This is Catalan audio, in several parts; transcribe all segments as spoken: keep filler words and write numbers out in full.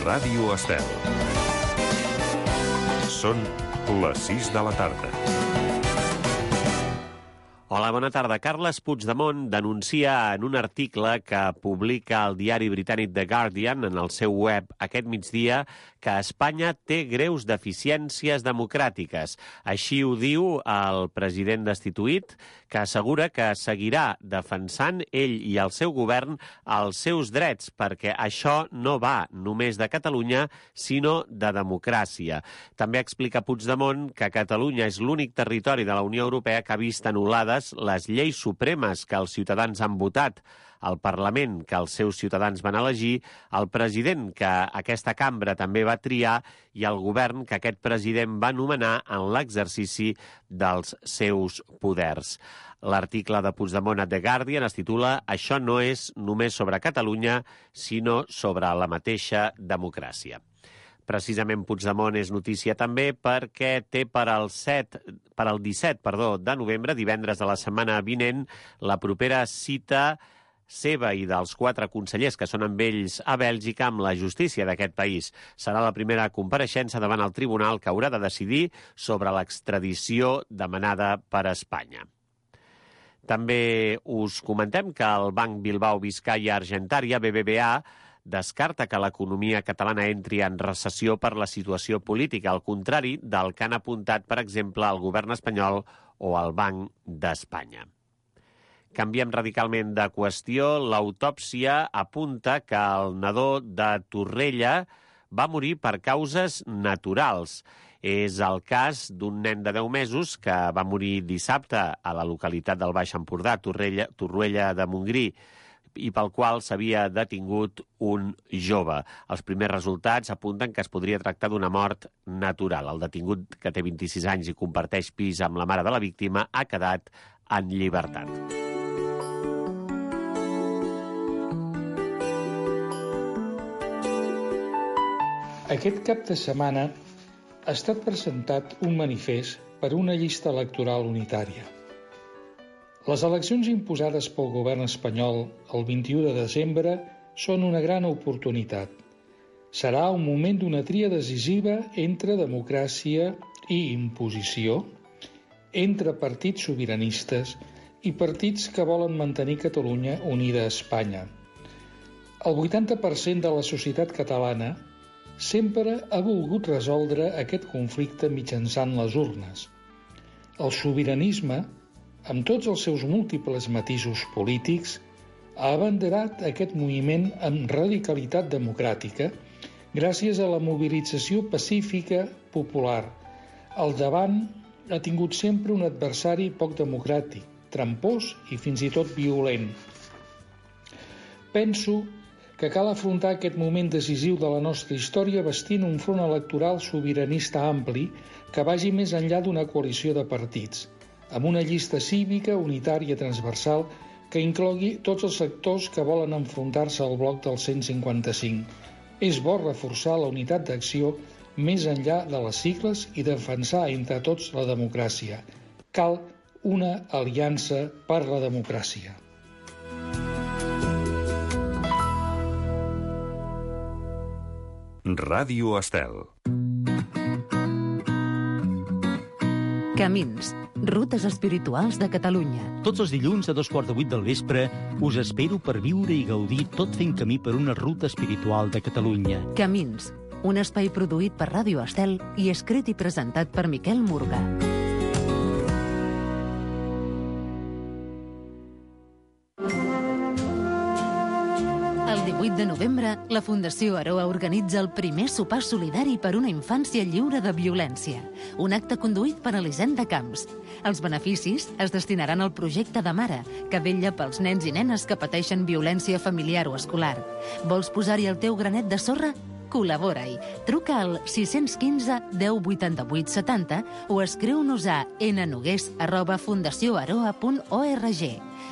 Ràdio Estel. Són les sis de la tarda. Hola, bona tarda. Carles Puigdemont denuncia en un article que publica el diari britànic The Guardian en el seu web aquest migdia que Espanya té greus deficiències democràtiques. Així ho diu el president destituït, que assegura que seguirà defensant ell i el seu govern els seus drets, perquè això no va només de Catalunya, sinó de democràcia. També explica Puigdemont que Catalunya és l'únic territori de la Unió Europea que ha vist anul·lades les lleis supremes que els ciutadans han votat, el Parlament que els seus ciutadans van elegir, el president que aquesta cambra també va triar i el govern que aquest president va nomenar en l'exercici dels seus poders. L'article de Puigdemont a The Guardian es titula «Això no és només sobre Catalunya, sinó sobre la mateixa democràcia». Precisament Puigdemont és notícia també perquè té per al, set, per al disset perdó, de novembre, divendres de la setmana vinent, la propera cita seva i dels quatre consellers que són amb ells a Bèlgica amb la justícia d'aquest país. Serà la primera compareixença davant el tribunal que haurà de decidir sobre l'extradició demanada per Espanya. També us comentem que el Banc Bilbao Vizcaya Argentaria, B B V A, descarta que l'economia catalana entri en recessió per la situació política, al contrari del que han apuntat, per exemple, el govern espanyol o el Banc d'Espanya. Canviem radicalment de qüestió. L'autòpsia apunta que el nadó de Torrella va morir per causes naturals. És el cas d'un nen de deu mesos que va morir dissabte a la localitat del Baix Empordà, Torrella, Torroella de Montgrí, i pel qual s'havia detingut un jove. Els primers resultats apunten que es podria tractar d'una mort natural. El detingut, que té vint-i-sis anys i comparteix pis amb la mare de la víctima, ha quedat en llibertat. Aquest cap de setmana ha estat presentat un manifest per una llista electoral unitària. Les eleccions imposades pel govern espanyol el vint-i-u de desembre són una gran oportunitat. Serà un moment d'una tria decisiva entre democràcia i imposició, entre partits sobiranistes i partits que volen mantenir Catalunya unida a Espanya. El vuitanta per cent de la societat catalana sempre ha volgut resoldre aquest conflicte mitjançant les urnes. El sobiranisme, amb tots els seus múltiples matisos polítics, ha abanderat aquest moviment amb radicalitat democràtica gràcies a la mobilització pacífica popular. Al davant ha tingut sempre un adversari poc democràtic, trampós i fins i tot violent. Penso que cal afrontar aquest moment decisiu de la nostra història vestint un front electoral sobiranista ampli que vagi més enllà d'una coalició de partits, amb una llista cívica unitària transversal que inclogui tots els sectors que volen enfrontar-se al bloc del cent cinquanta-cinc. És bo reforçar la unitat d'acció més enllà de les sigles i defensar entre tots la democràcia. Cal una aliança per la democràcia. Ràdio Estel. Camins, rutes espirituals de Catalunya. Tots els dilluns a dos quarts de vuit del vespre us espero per viure i gaudir tot fent camí per una ruta espiritual de Catalunya. Camins, un espai produït per Ràdio Estel i escrit i presentat per Miquel Murga. El divuit de novembre, la Fundació Aroa organitza el primer sopar solidari per una infància lliure de violència, un acte conduït per Elisenda Camps. Els beneficis es destinaran al projecte de Mare, que vetlla pels nens i nenes que pateixen violència familiar o escolar. Vols posar-hi el teu granet de sorra? Col·labora-hi. Truca al sis un cinc, deu, vuitanta-vuit, setanta o escriu-nos a nnogués arroba fundacioaroa punt org.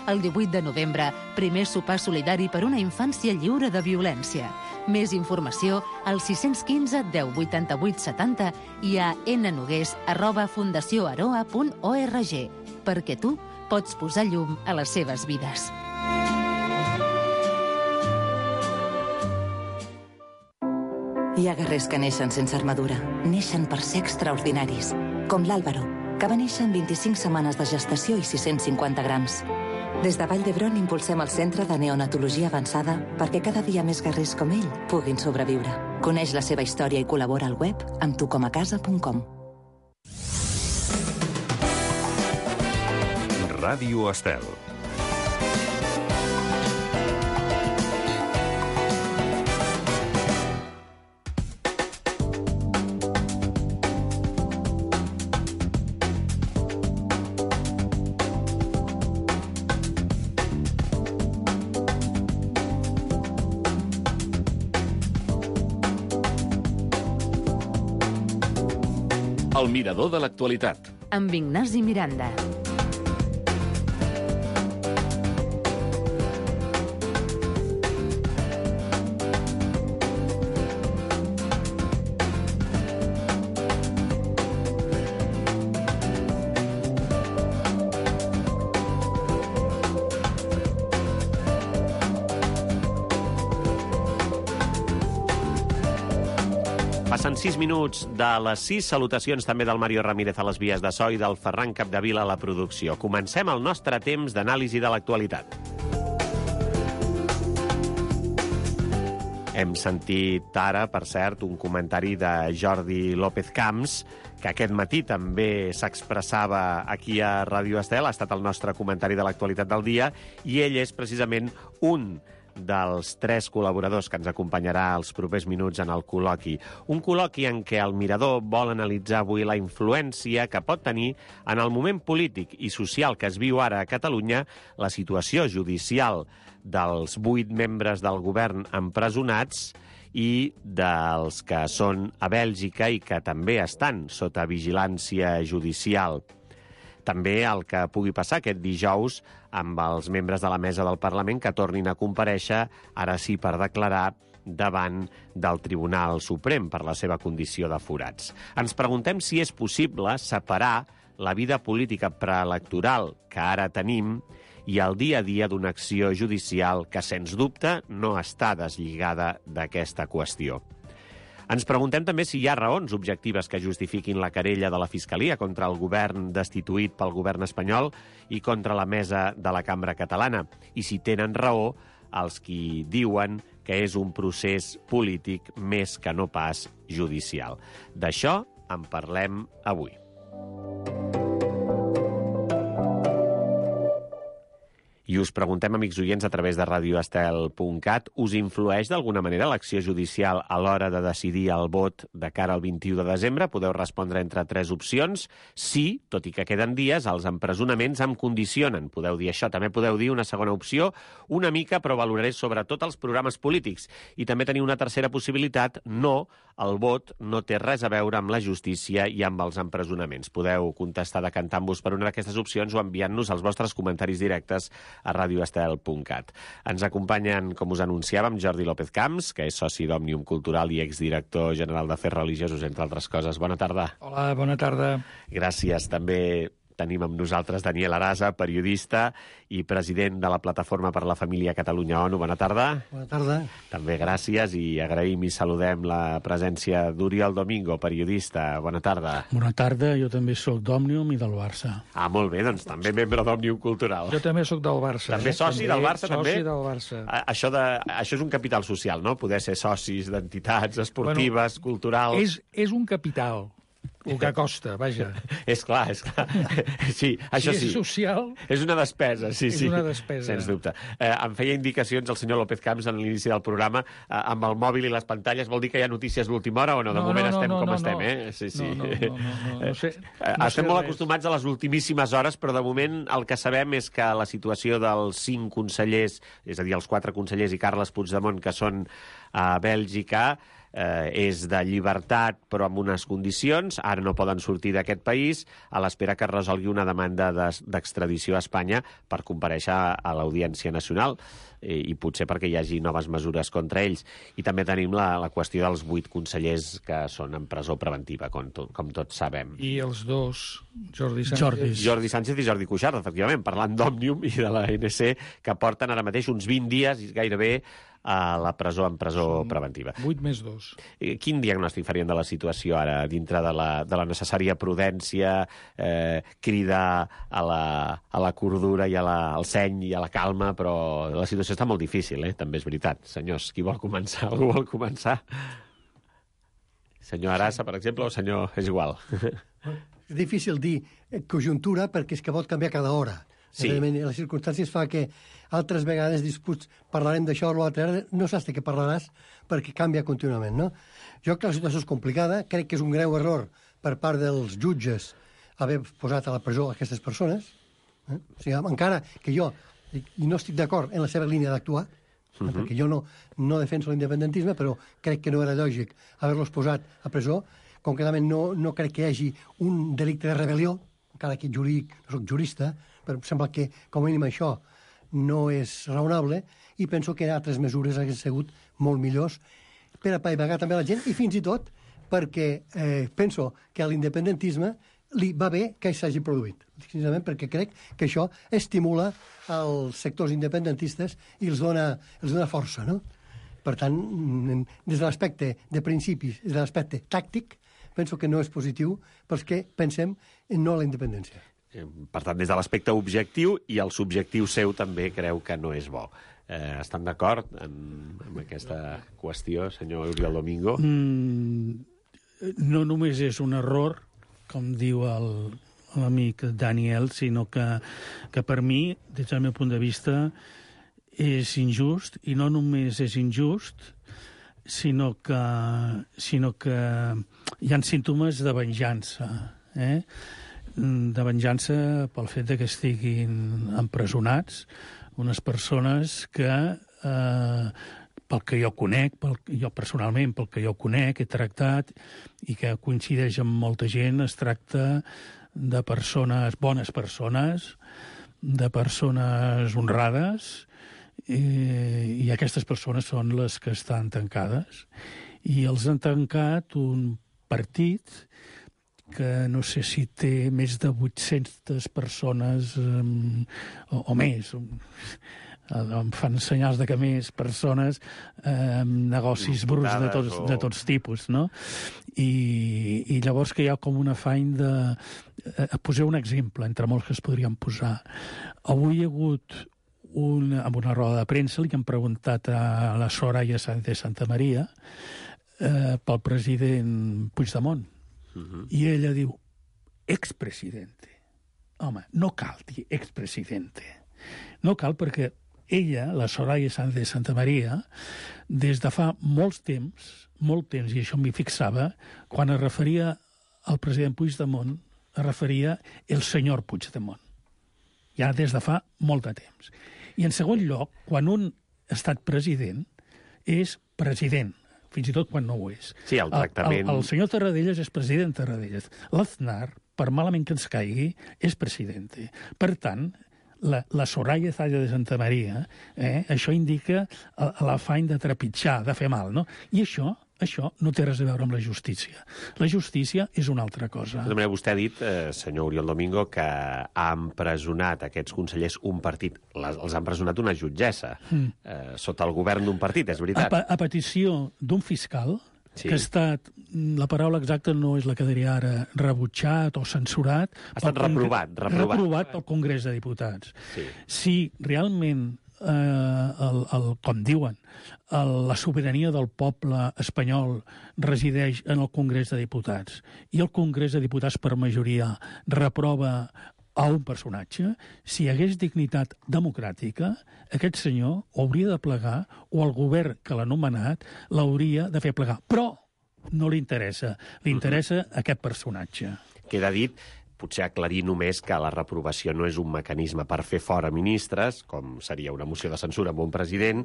El divuit de novembre, primer sopar solidari per una infància lliure de violència. Més informació al sis un cinc, deu, vuitanta-vuit, setanta i a nnogués arroba fundacioaroa punt org, perquè tu pots posar llum a les seves vides. Hi ha guerrers que neixen sense armadura, neixen per ser extraordinaris, com l'Àlvaro, que va néixer amb vint-i-cinc setmanes de gestació i sis-cents cinquanta grams. Des de Vall d'Hebron impulsem el Centre de Neonatologia Avançada perquè cada dia més guerrers com ell puguin sobreviure. Coneix la seva història i col·labora al web amb tucomacasa punt com. Ràdio Estel. El mirador de l'actualitat. Amb Ignasi Miranda. Passen sis minuts de les sis. Salutacions també del Mario Ramírez a les vies de so i del Ferran Capdevila a la producció. Comencem el nostre temps d'anàlisi de l'actualitat. Hem sentit ara, per cert, un comentari de Jordi López Camps, que aquest matí també s'expressava aquí a Ràdio Estel, ha estat el nostre comentari de l'actualitat del dia, i ell és precisament un dels tres col·laboradors que ens acompanyarà els propers minuts en el col·loqui. Un col·loqui en què el Mirador vol analitzar avui la influència que pot tenir en el moment polític i social que es viu ara a Catalunya la situació judicial dels vuit membres del govern empresonats i dels que són a Bèlgica i que també estan sota vigilància judicial. També el que pugui passar aquest dijous amb els membres de la mesa del Parlament que tornin a comparèixer, ara sí per declarar, davant del Tribunal Suprem per la seva condició de forats. Ens preguntem si és possible separar la vida política preelectoral que ara tenim i el dia a dia d'una acció judicial que, sens dubte, no està deslligada d'aquesta qüestió. Ens preguntem també si hi ha raons objectives que justifiquin la querella de la Fiscalia contra el govern destituït pel govern espanyol i contra la mesa de la Cambra Catalana, i si tenen raó els qui diuen que és un procés polític més que no pas judicial. D'això en parlem avui. I us preguntem, amics oients, a través de radio estel punt cat, us influeix d'alguna manera l'acció judicial a l'hora de decidir el vot de cara al vint-i-u de desembre? Podeu respondre entre tres opcions. Sí, tot i que queden dies, els empresonaments em condicionen. Podeu dir això. També podeu dir una segona opció, una mica, però valoraré sobretot els programes polítics. I també teniu una tercera possibilitat, no, el vot no té res a veure amb la justícia i amb els empresonaments. Podeu contestar decantant-vos per una d'aquestes opcions o enviant-nos els vostres comentaris directes a radio estel punt cat. Ens acompanyen, com us anunciàvem, Jordi López Camps, que és soci d'Òmnium Cultural i exdirector general d'Afers Religiosos, entre altres coses. Bona tarda. Hola, bona tarda. Gràcies. També tenim amb nosaltres Daniel Arasa, periodista i president de la Plataforma per la Família Catalunya ONU. Bona tarda. Bona tarda. També gràcies i agraïm i saludem la presència d'Oriol Domingo, periodista. Bona tarda. Bona tarda, jo també sóc d'Òmnium i del Barça. Ah, molt bé, doncs també membre d'Òmnium Cultural. Jo també sóc del Barça. També soci també, del Barça, soci també? Soci del Barça. Això, de, això és un capital social, no? Poder ser socis d'entitats esportives, bueno, culturals... És, és un capital. El que costa, vaja. És clar, és clar. Sí, això sí. Si és social... És una despesa, sí, és sí. És una despesa. Sens dubte. Eh, em feia indicacions el senyor López Camps en l'inici del programa eh, amb el mòbil i les pantalles. Vol dir que hi ha notícies d'última hora o no? De no, moment no, estem no, com no, estem, no. eh? Sí, sí. No, no, no, no, no, no sé. No estem sé molt res. acostumats a les ultimíssimes hores, però de moment el que sabem és que la situació dels cinc consellers, és a dir, els quatre consellers i Carles Puigdemont, que són a Bèlgica, eh, és de llibertat però amb unes condicions, ara no poden sortir d'aquest país a l'espera que es resolgui una demanda d'extradició a Espanya per comparèixer a l'Audiència Nacional i, i potser perquè hi hagi noves mesures contra ells. I també tenim la, la qüestió dels vuit consellers que són en presó preventiva, com, to, com tots sabem. I els dos, Jordi Sánchez... Jordi. Jordi Sánchez i Jordi Cuixart, efectivament, parlant d'Òmnium i de la A N C, que porten ara mateix uns vint dies, gairebé, a la presó en presó Són preventiva. vuit més dos. Quin diagnòstic farien de la situació ara, dintre de la, de la necessària prudència, eh, cridar a la, a la cordura i a la, al seny i a la calma, però la situació està molt difícil, eh? També és veritat. Senyors, qui vol començar? Algú vol començar? Senyor Arassa, per exemple, o senyor... És igual. És difícil dir conjuntura perquè és que pot canviar cada hora. Sí. Les circumstàncies fa que altres vegades disputs parlarem d'això o l'altre, no saps de què parlaràs perquè canvia contínuament, no? Jo crec que la situació és complicada, crec que és un greu error per part dels jutges haver posat a la presó aquestes persones, eh? O sigui, encara que jo i no estic d'acord en la seva línia d'actuar, uh-huh. perquè jo no, no defenso l'independentisme, però crec que no era lògic haver-los posat a presó, concretament no, no crec que hi hagi un delicte de rebel·lió, encara que jurídic, no soc jurista, però em sembla que, com a mínim, això no és raonable, i penso que altres mesures haguessin sigut molt millors per apaivagar també la gent, i fins i tot perquè eh, penso que a l'independentisme li va bé que s'hagi produït, precisament perquè crec que això estimula els sectors independentistes i els dona, els dona força, no? Per tant, des de l'aspecte de principis, des de l'aspecte tàctic, penso que no és positiu pels que pensem en no a la independència. Per tant, des de l'aspecte objectiu i el subjectiu seu també creu que no és bo. Eh, estan d'acord en, en aquesta qüestió, senyor Oriol Domingo? Mm, no només és un error, com diu el, l'amic Daniel, sinó que, que per mi, des del meu punt de vista, és injust, i no només és injust, sinó que, sinó que hi ha símptomes de venjança, eh? de venjança pel fet de que estiguin empresonats unes persones que, eh, pel que jo conec, pel, jo personalment, pel que jo conec, he tractat, i que coincideix amb molta gent, es tracta de persones, bones persones, de persones honrades, eh, i aquestes persones són les que estan tancades. I els han tancat un partit que no sé si té més de vuit-centes persones um, o, o més. Em fan senyals de que més persones, eh, negocis bruts de tots, de tots tipus, no? I, i llavors que hi ha com un afany de... Eh, posar un exemple, entre molts que es podrien posar. Avui hi ha hagut una, amb una roda de premsa, li han preguntat a la Soraya Sáenz de Santamaría eh, pel president Puigdemont. Uh-huh. I ella diu, expresidente. Home, no cal dir expresidente. No cal perquè ella, la Soraya Sáenz de Santamaría, des de fa molts temps, molt temps, i això m'hi fixava, quan es referia al president Puigdemont, es referia el senyor Puigdemont. Ja des de fa molt de temps. I en segon lloc, quan un ha estat president, és president, fins i tot quan no ho és. Sí, el tractament... El, el, el senyor Tarradellas és president Tarradellas. L'Aznar, per malament que ens caigui, és presidente. Per tant, la, la Soraya Sáenz de Santamaría, eh, això indica l'afany de trepitjar, de fer mal, no? I això, això no té res a veure amb la justícia. La justícia és una altra cosa. De manera, vostè ha dit, eh, senyor Oriol Domingo, que ha empresonat aquests consellers un partit. Les, els ha empresonat una jutgessa, mm. eh, sota el govern d'un partit, és veritat. A, a petició d'un fiscal, sí. que ha estat, la paraula exacta no és la que diria ara, rebutjat o censurat... Ha estat reprovat, reprovat. Reprovat pel Congrés de Diputats. Sí. Si realment, eh, el, el, com diuen, el, la sobirania del poble espanyol resideix en el Congrés de Diputats i el Congrés de Diputats per majoria reprova a un personatge, si hi hagués dignitat democràtica, aquest senyor hauria de plegar, o el govern que l'ha nomenat l'hauria de fer plegar. Però no li interessa. Li interessa uh-huh. aquest personatge. Queda dit, potser aclarir només que la reprovació no és un mecanisme per fer fora ministres, com seria una moció de censura amb un president,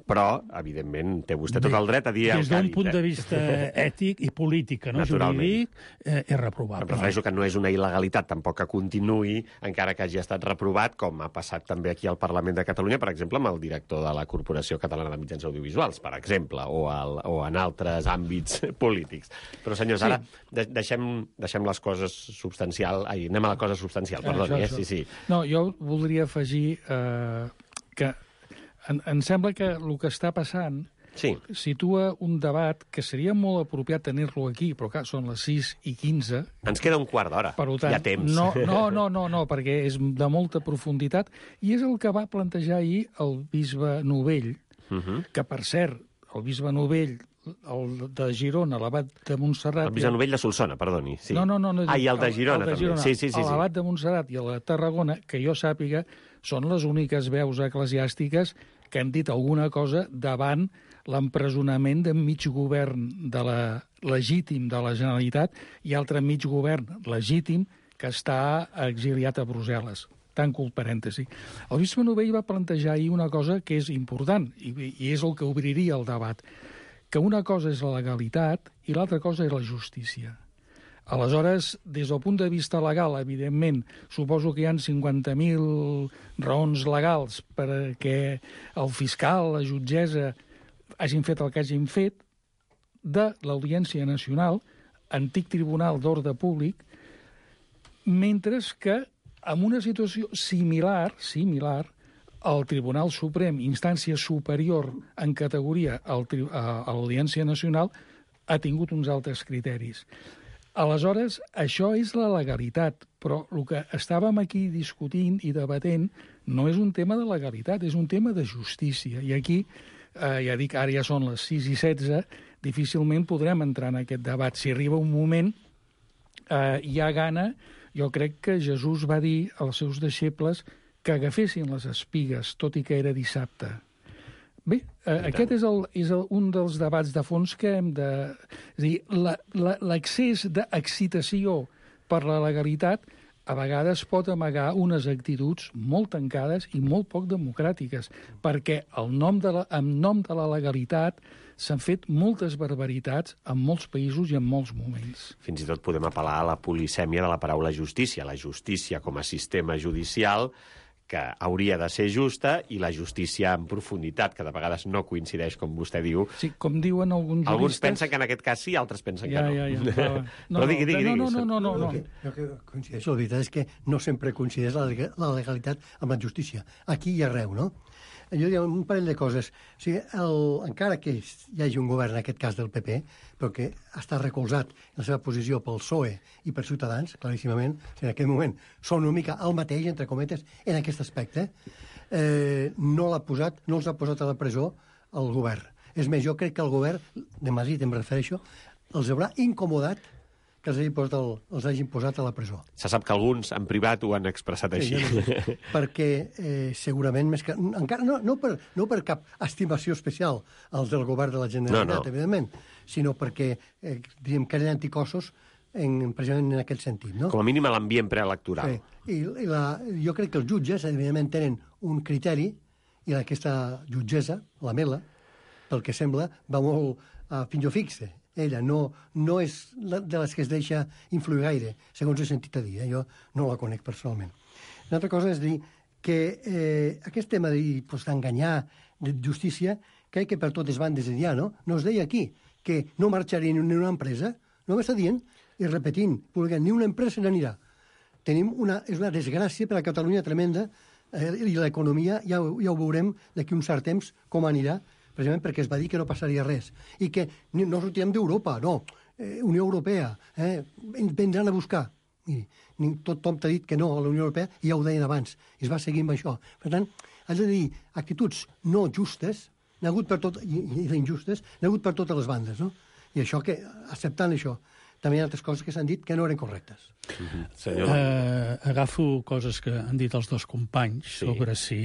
però, evidentment, té vostè tot el dret a dir... Des d'un punt de vista ètic i polític, no jurídic, eh, és reprovable. Em refereixo que no és una il·legalitat, tampoc que continuï, encara que hagi estat reprovat, com ha passat també aquí al Parlament de Catalunya, per exemple, amb el director de la Corporació Catalana de Mitjans Audiovisuals, per exemple, o, al, o en altres àmbits polítics. Però, senyors, ara de, deixem, deixem les coses substancials... Ai, anem a la cosa substancial, perdoni, eh? Sí, sí. No, jo voldria afegir eh, que em, em sembla que el que està passant sí. situa un debat que seria molt apropiat tenir-lo aquí, però clar, són les sis i quinze. Ens queda un quart d'hora, hi ha temps. No, no, no, no, no, perquè és de molta profunditat, i és el que va plantejar ahir el bisbe Novell, uh -huh. que, per cert, el bisbe Novell, el de Girona, l'abat de Montserrat... El bisbe Novell de Solsona, perdoni. Sí. No, no, no. no ah, i el de Girona, el de Girona també. Sí, sí, sí, sí. L'abat de Montserrat i el de Tarragona, que jo sàpiga, són les úniques veus eclesiàstiques que han dit alguna cosa davant l'empresonament de mig govern de la, legítim de la Generalitat i altre mig govern legítim que està exiliat a Brussel·les. Tanco el parèntesi. El bisbe Novell va plantejar ahir una cosa que és important, i, i és el que obriria el debat, que una cosa és la legalitat i l'altra cosa és la justícia. Aleshores, des del punt de vista legal, evidentment, suposo que hi ha cinquanta mil raons legals perquè el fiscal, la jutgessa, hagin fet el que hagin fet, de l'Audiència Nacional, antic tribunal d'ordre públic, mentre que en una situació similar, similar, el Tribunal Suprem, instància superior en categoria a l'Audiència Nacional, ha tingut uns altres criteris. Aleshores, això és la legalitat, però el que estàvem aquí discutint i debatent no és un tema de legalitat, és un tema de justícia. I aquí, eh, ja dic, ara ja són les sis i setze, difícilment podrem entrar en aquest debat. Si arriba un moment, eh, hi ha gana. Jo crec que Jesús va dir als seus deixebles que agafessin les espigues, tot i que era dissabte. Bé, eh, aquest és, el, és el, un dels debats de fons que hem de... És a dir, l'excés d'excitació per la legalitat a vegades pot amagar unes actituds molt tancades i molt poc democràtiques, perquè el nom de la, en nom de la legalitat s'han fet moltes barbaritats en molts països i en molts moments. Fins i tot podem apel·lar a la polisèmia de la paraula justícia. La justícia com a sistema judicial que hauria de ser justa, i la justícia en profunditat, que de vegades no coincideix, com vostè diu. Sí, com diuen alguns juristes... Alguns pensen que en aquest cas sí, altres pensen ja, que no. Ja, ja, ja. No, Però digui, digui, digui. No, no, no, no, no. El que, el que coincideix, la veritat és que no sempre coincideix la, la legalitat amb la justícia. Aquí i arreu, no? Jo diria un parell de coses. O sigui, el, encara que hi hagi un govern, en aquest cas del P P, però que està recolzat en la seva posició pel P S O E i per Ciutadans, claríssimament, o sigui, en aquest moment són una mica el mateix, entre cometes, en aquest aspecte, eh, no l'ha posat, no els ha posat a la presó el govern. És més, jo crec que el govern, de Madrid em refereixo, els haurà incomodat que els hagin posat, el, els hagin posat a la presó. Se sap que alguns en privat ho han expressat així. Sí, ja perquè eh, segurament més que... Encara, no, no, per, no per cap estimació especial als del govern de la Generalitat, no, no. evidentment, sinó perquè eh, diguem, creen anticossos en, precisament en aquest sentit. No? Com a mínim a l'ambient preelectoral. Sí. I, i la, jo crec que els jutges, evidentment, tenen un criteri, i aquesta jutgessa, la Mela, pel que sembla, va molt a finjo fixe. Ella no, no és de les que es deixa influir gaire, segons he sentit a dir. Eh? Jo no la conec personalment. Una altra cosa és dir que eh, aquest tema d'enganyar, de justícia, crec que per totes bandes hi ha, no? No es deia aquí que no marxaria ni una empresa, no m'està dient, i repetint, publicant, ni una empresa n'anirà. Tenim una, és una desgràcia per a Catalunya tremenda, eh, i l'economia ja, ja ho veurem d'aquí un cert temps com anirà, precisament perquè es va dir que no passaria res, i que no sortirem d'Europa, no, eh, Unió Europea, eh, vendran a buscar. Miri, tothom t'ha dit que no a la Unió Europea, i ja ho deien abans, i es va seguir amb això. Per tant, has de dir, actituds no justes, n'ha hagut per tot, i, i injustes, n'ha hagut per totes les bandes, no? I això que, acceptant això, també hi ha altres coses que s'han dit que no eren correctes. Uh-huh. Senyor... Uh, agafo coses que han dit els dos companys sí. sobre si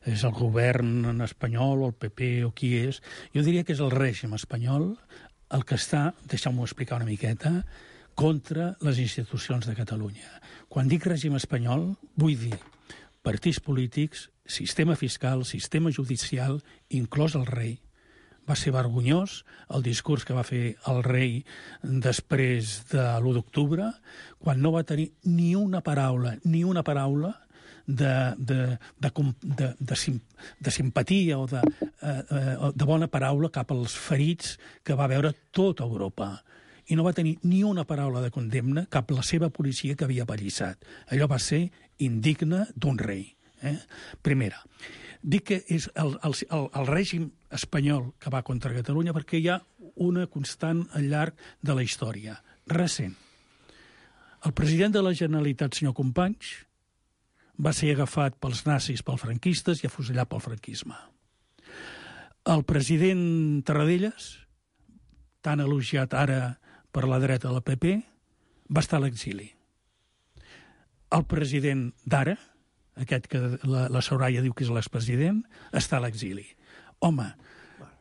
és el govern espanyol o el P P o qui és. Jo diria que és el règim espanyol el que està, deixeu-m'ho explicar una miqueta, contra les institucions de Catalunya. Quan dic règim espanyol, vull dir partits polítics, sistema fiscal, sistema judicial, inclòs el rei. Va ser vergonyós el discurs que va fer el rei després de l'u d'octubre, quan no va tenir ni una paraula, ni una paraula de, de, de, de, de, sim, de simpatia o de, eh, de bona paraula cap als ferits que va veure tota Europa. I no va tenir ni una paraula de condemna cap a la seva policia que havia pallissat. Allò va ser indigne d'un rei. Eh? Primera, dic que és el, el, el, el règim espanyol que va contra Catalunya perquè hi ha una constant al llarg de la història recent. El president de la Generalitat, senyor Companys, va ser agafat pels nazis, pels franquistes i afusellat pel franquisme. El president Tarradellas, tan elogiat ara per la dreta de la P P, va estar a l'exili. El president d'ara, aquest que la, la Soraya diu que és l'expresident, està a l'exili. Home,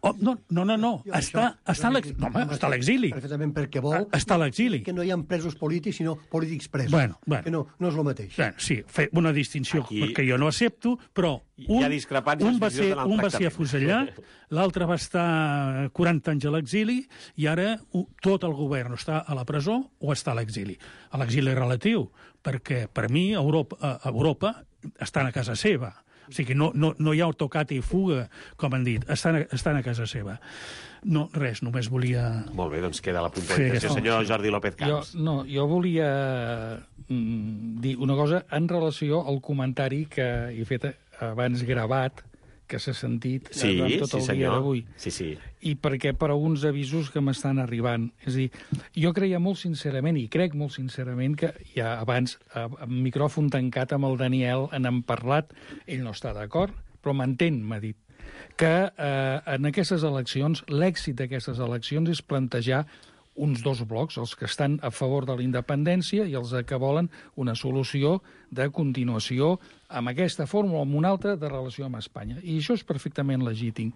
oh, no, no, no, no, està, està, a no, home, està a l'exili. Perfectament perquè vol està a l'exili. Que no hi ha presos polítics, sinó polítics presos. Bueno, bueno. Que no, no és el mateix. Bueno, sí, fer una distinció Aquí... que jo no accepto, però un, un, va, ser, un va ser afusellat, l'altre va estar quaranta anys a l'exili i ara tot el govern està a la presó o està a l'exili. A l'exili relatiu, perquè per mi Europa, Europa estan a casa seva. O sigui, no, no, no hi ha tocat i fuga, com han dit, estan a, estan a casa seva. No, res, només volia... Molt bé, doncs queda la puntualització. Sí, senyor Jordi López Camps. Jo, no, jo volia mm, dir una cosa en relació al comentari que he fet abans gravat, que s'ha sentit sí, durant tot sí, el senyor. dia d'avui. Sí, sí. I perquè per a uns avisos que m'estan arribant. És a dir, jo creia molt sincerament, i crec molt sincerament, que ja abans, amb micròfon tancat amb el Daniel, en hem parlat, ell no està d'acord, però m'entén, m'ha dit, que eh, en aquestes eleccions, l'èxit d'aquestes eleccions és plantejar uns dos blocs, els que estan a favor de la independència i els que volen una solució de continuació amb aquesta fórmula o amb una altra de relació amb Espanya. I això és perfectament legítim.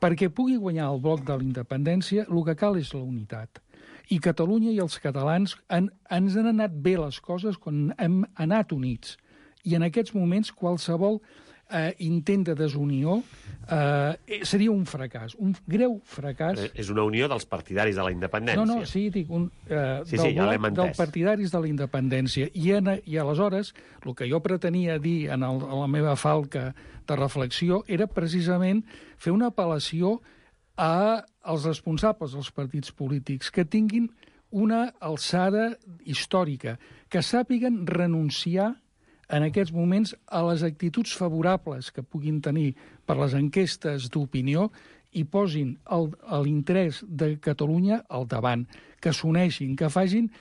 Perquè pugui guanyar el bloc de la independència, el que cal és la unitat. I Catalunya i els catalans han, ens han anat bé les coses quan hem anat units. I en aquests moments qualsevol eh, intent de desunió eh, seria un fracàs, un greu fracàs. Eh, és una unió dels partidaris de la independència. No, no, sí, dic, un, eh, sí, del sí, ja bloc dels partidaris de la independència. I, en, I aleshores, el que jo pretenia dir en, el, en la meva falca de reflexió era precisament fer una apel·lació als responsables dels partits polítics que tinguin una alçada històrica, que sàpiguen renunciar en aquests moments a les actituds favorables que puguin tenir per les enquestes d'opinió i posin l'interès de Catalunya al davant, que s'uneixin, que facin...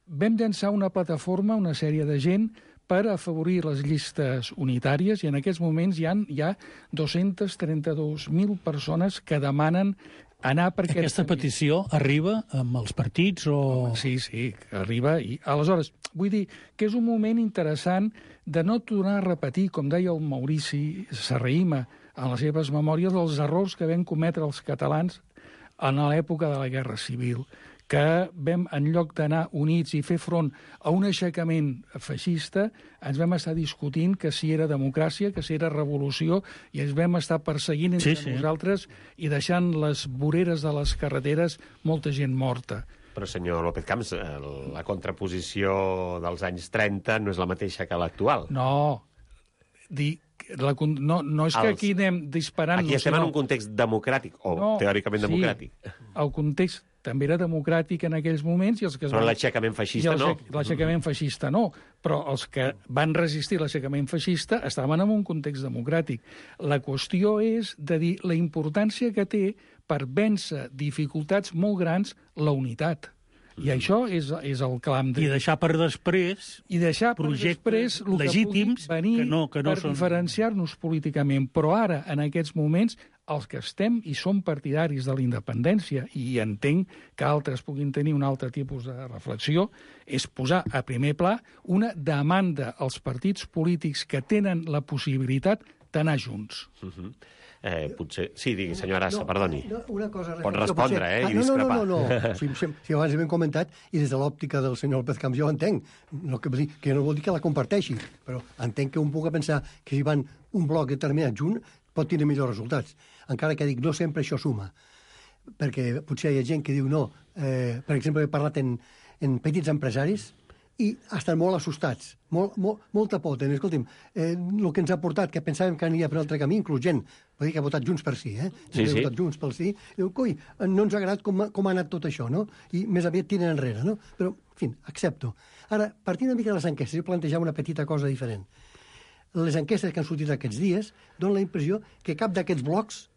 Vam llançar una plataforma, una sèrie de gent, per afavorir les llistes unitàries i en aquests moments hi ha, hi ha dos-centes trenta-dos mil persones que demanen anar per aquest Aquesta petició arriba amb els partits o... Sí, sí, arriba. I aleshores, vull dir que és un moment interessant de no tornar a repetir, com deia el Maurici Serrahima en les seves memòries, els errors que vam cometre els catalans en l'època de la Guerra Civil, que vam, en lloc d'anar units i fer front a un aixecament feixista, ens vam estar discutint que si era democràcia, que si era revolució, i ens vam estar perseguint entre sí, sí. nosaltres i deixant les voreres de les carreteres molta gent morta. Però, senyor López Camps, la contraposició dels anys trenta no és la mateixa que l'actual. No, dir, la, no, no és que Els, aquí anem disparant... Aquí estem sinó... en un context democràtic, o no, teòricament sí, democràtic. El context també era democràtic en aquells moments. I els que es però van... l'aixecament feixista no. L'aixecament feixista no, però els que van resistir l'aixecament feixista estaven en un context democràtic. La qüestió és de dir la importància que té per vèncer dificultats molt grans la unitat. I això és, és el clam de... I deixar per després I deixar projectes per després legítims que, venir que no, que no per són... diferenciar-nos políticament. Però ara, en aquests moments, els que estem i som partidaris de la independència, i entenc que altres puguin tenir un altre tipus de reflexió, és posar a primer pla una demanda als partits polítics que tenen la possibilitat d'anar junts. Uh-huh. Eh, potser... Sí, digui, senyor Arassa, no, perdoni. No, una cosa... Pot respondre, potser... eh, i ah, no, discrepar. No, no, no, no. Si, si, si abans hem comentat, i des de l'òptica del senyor López Camps jo entenc, no, que, que no vol dir que la comparteixi, però entenc que un pugui pensar que si van un bloc determinat junt pot tenir millors resultats. Encara que dic, no sempre això suma. Perquè potser hi ha gent que diu no. Eh, per exemple, he parlat en, en petits empresaris i estan molt assustats, molt, molt, molta por tenen. Escolti'm, eh, el que ens ha portat, que pensàvem que aniria per un altre camí, inclús gent, vull dir que ha votat Junts per Sí, eh? Sí, ha sí. votat Junts pel Sí. Diu, coi, no ens ha agradat com, com ha anat tot això, no? I més aviat tiren enrere, no? Però, en fi, accepto. Ara, partint una mica de les enquestes, jo plantejava una petita cosa diferent. les enquestes que han sortit aquests dies donen la impressió que cap d'aquests blocs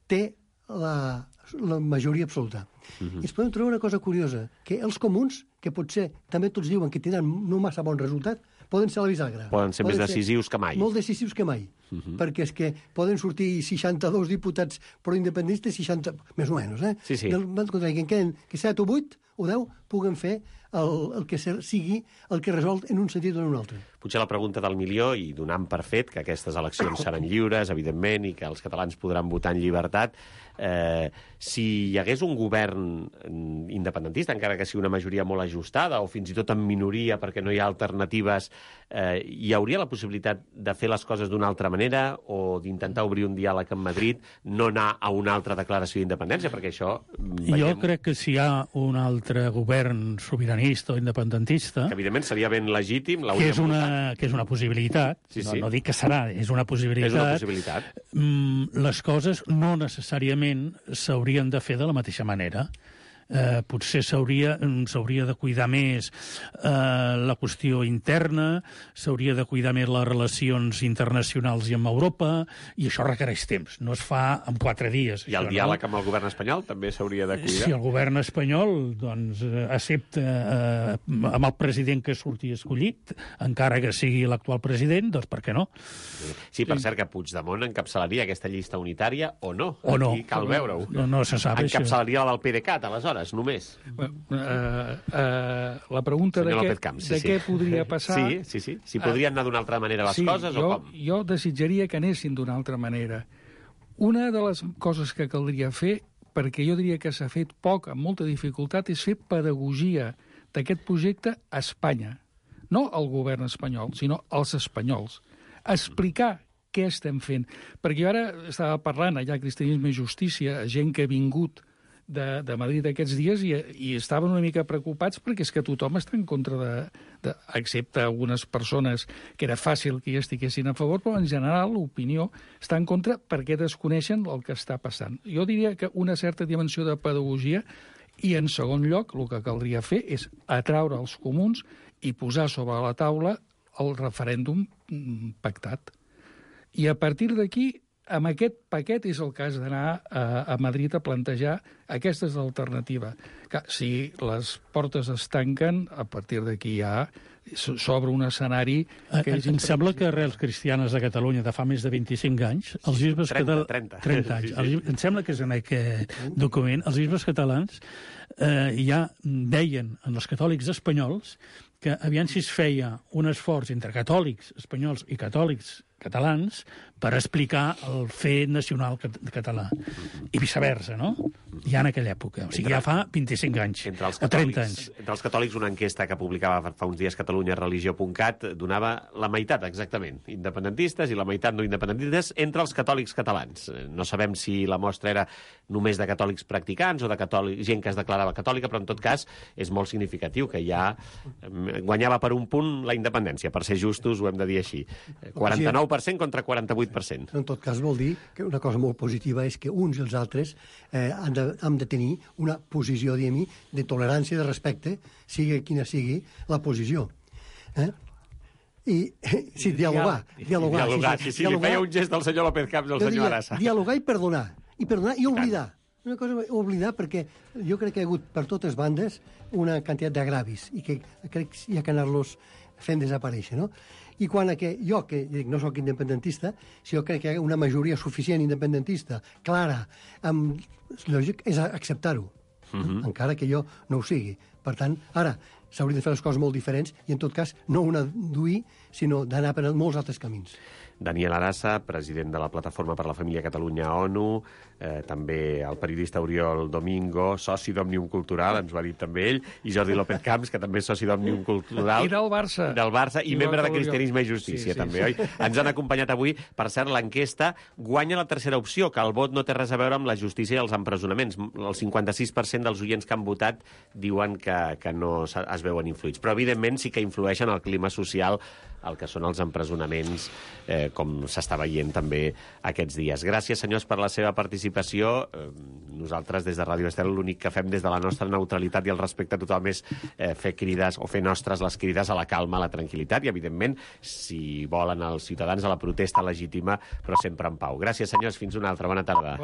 té la, la majoria absoluta. Uh-huh. I ens podem trobar una cosa curiosa, que els comuns, que potser també tots diuen que tindran no massa bon resultat, poden ser la bisagra. Poden ser poden més decisius que mai. Molt decisius que mai. Uh-huh. Perquè és que poden sortir seixanta-dos diputats pro-independentistes, seixanta... més o menys, eh? Sí, sí. Del, que en queden que set o vuit o deu puguen fer el, el que sigui el que resol en un sentit o en un altre. Potser la pregunta del milió, i donant per fet que aquestes eleccions seran lliures, evidentment, i que els catalans podran votar en llibertat, eh, si hi hagués un govern independentista, encara que sigui una majoria molt ajustada, o fins i tot en minoria perquè no hi ha alternatives, eh, hi hauria la possibilitat de fer les coses d'una altra manera o d'intentar obrir un diàleg amb Madrid, no anar a una altra declaració d'independència, perquè això... Veiem... Jo crec que si hi ha un altre govern sobiranista o independentista... Que, evidentment, seria ben legítim... Que és una, que és una possibilitat, sí, sí. No, no dic que serà, és una possibilitat. És una possibilitat. Les coses no necessàriament s'haurien de fer de la mateixa manera. Eh, potser s'hauria s'hauria de cuidar més eh, la qüestió interna, s'hauria de cuidar més les relacions internacionals i amb Europa, i això requereix temps, no es fa en quatre dies. I el això, diàleg no? amb el govern espanyol també s'hauria de cuidar? Si el govern espanyol doncs, accepta eh, amb el president que surti escollit, encara que sigui l'actual president, doncs per què no? Sí, per cert, que Puigdemont encapçalaria aquesta llista unitària o no? O no. Aquí cal veure-ho. No, no se sap. Encapçalaria la del PDeCAT, aleshores. Només. Uh, uh, la pregunta de, què, Camps, sí, de sí. què podria passar... Sí, sí, sí. Si podrien anar d'una altra manera les sí, coses jo, o com? Jo desitjaria que anessin d'una altra manera. Una de les coses que caldria fer, perquè jo diria que s'ha fet poc, amb molta dificultat, és fer pedagogia d'aquest projecte a Espanya. No al govern espanyol, sinó als espanyols. Explicar què estem fent. Perquè jo ara estava parlant allà, Cristianisme i Justícia, gent que ha vingut De, de Madrid aquests dies i, i estaven una mica preocupats perquè és que tothom està en contra de, de... excepte algunes persones que era fàcil que hi estiguessin a favor, però en general l'opinió està en contra perquè desconeixen el que està passant. Jo diria que una certa dimensió de pedagogia i, en segon lloc, el que caldria fer és atraure els comuns i posar sobre la taula el referèndum pactat. I a partir d'aquí amb aquest paquet és el cas d'anar a, a Madrid a plantejar aquestes alternatives. Que si les portes es tanquen, a partir d'aquí ja s'obre un escenari... Que és em sembla que Arrels Cristianes de Catalunya de fa més de vint-i-cinc anys, els bisbes catalans... trenta, trenta anys. Sí, sí. Els, em sembla que és en aquest document, els bisbes catalans eh, ja deien en els catòlics espanyols que aviam si es feia un esforç entre catòlics espanyols i catòlics catalans per explicar el fet nacional català. I viceversa, no? Ja en aquella època. O sigui, ja fa vint-i-cinc anys. Entre els o trenta anys. Entre els catòlics, una enquesta que publicava fa uns dies Catalunya Religió punt cat donava la meitat, exactament, independentistes i la meitat no independentistes entre els catòlics catalans. No sabem si la mostra era només de catòlics practicants o de catòlics, gent que es declarava catòlica, però en tot cas és molt significatiu que ja guanyava per un punt la independència. Per ser justos, ho hem de dir així. quaranta-nou per cent contra quaranta-vuit per cent. En tot cas vol dir que una cosa molt positiva és que uns i els altres eh, han, de, han de tenir una posició, diguem-hi, de tolerància, de respecte, sigui quina sigui la posició. Eh? I, sí, dialogar. Dialogar, dialogar sí, sí, sí, dialogar, li feia un gest del senyor López Camps al senyor Arassa. Dialogar i perdonar. I perdonar i oblidar. Una cosa, oblidar, perquè jo crec que hi ha hagut per totes bandes una quantitat d'agravis i que crec que hi ha que anar-los fent desaparèixer, no? I quan a que jo, que dic, no sóc independentista, si jo crec que hi ha una majoria suficient independentista, clara, amb, lògic, és acceptar-ho, uh-huh. encara que jo no ho sigui. Per tant, ara, s'haurien de fer les coses molt diferents i, en tot cas, no una d'uir, sinó d'anar per molts altres camins. Daniel Arassa, president de la Plataforma per la Família Catalunya ONU, eh, també el periodista Oriol Domingo, soci d'Òmnium Cultural, ens ho ha dit també ell, i Jordi López Camps, que també és soci d'Òmnium Cultural. I del Barça. Del Barça, i, I membre de Cristianisme i Justícia, sí, sí, també, sí. Oi? Ens han acompanyat avui. Per cert, l'enquesta guanya la tercera opció, que el vot no té res a veure amb la justícia i els empresonaments. El cinquanta-sis per cent dels oients que han votat diuen que, que no es es veuen influïts. Però, evidentment, sí que influeixen el clima social, el que són els empresonaments, eh, com s'està veient també aquests dies. Gràcies, senyors, per la seva participació. Eh, nosaltres, des de Ràdio Estel, l'únic que fem des de la nostra neutralitat i el respecte total és eh, fer crides o fer nostres les crides a la calma, a la tranquil·litat i, evidentment, si volen els ciutadans a la protesta legítima, però sempre en pau. Gràcies, senyors. Fins una altra. Bona tarda. Bona